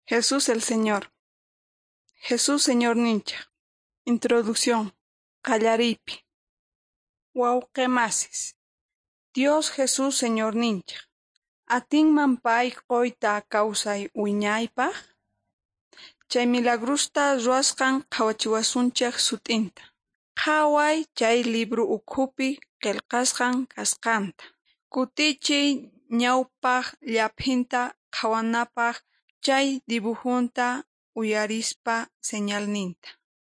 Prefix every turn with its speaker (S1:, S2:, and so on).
S1: Jesús el Señor. Jesús Señorninchik. Introducción. Qallariypi. Wawqimasis. Dios Jesús Señorninchik. Atinman pay quyta kawsay wiñaypaq? Chay milagrusta ruwasqan qhawachiwasunchik sut'inta. Qhaway chay libro ukhupi qillqasqan kasqanta. Kutichiy ñawpaq llaphinta qhawanapaq chay dibujunta uyarispa señalninta.